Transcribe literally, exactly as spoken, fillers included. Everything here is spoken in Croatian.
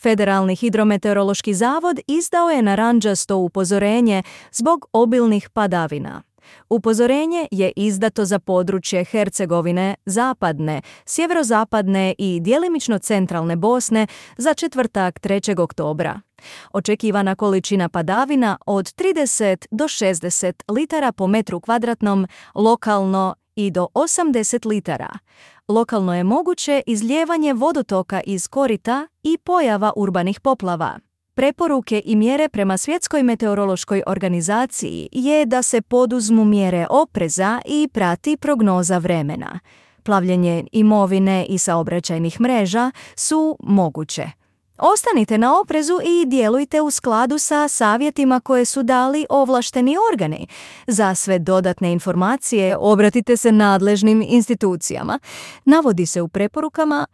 Federalni hidrometeorološki zavod izdao je narančasto upozorenje zbog obilnih padavina. Upozorenje je izdato za područje Hercegovine, zapadne, sjeverozapadne i djelimično centralne Bosne za četvrtak trećeg oktobra. Očekivana količina padavina od trideset do šezdeset litara po metru kvadratnom, lokalno i do osamdeset litara. Lokalno je moguće izlijevanje vodotoka iz korita i pojava urbanih poplava. Preporuke i mjere prema Svjetskoj meteorološkoj organizaciji je da se poduzmu mjere opreza i prati prognoza vremena. Plavljenje imovine i saobraćajnih mreža su moguće. Ostanite na oprezu i djelujte u skladu sa savjetima koje su dali ovlašteni organi. Za sve dodatne informacije obratite se nadležnim institucijama. Navodi se u preporukama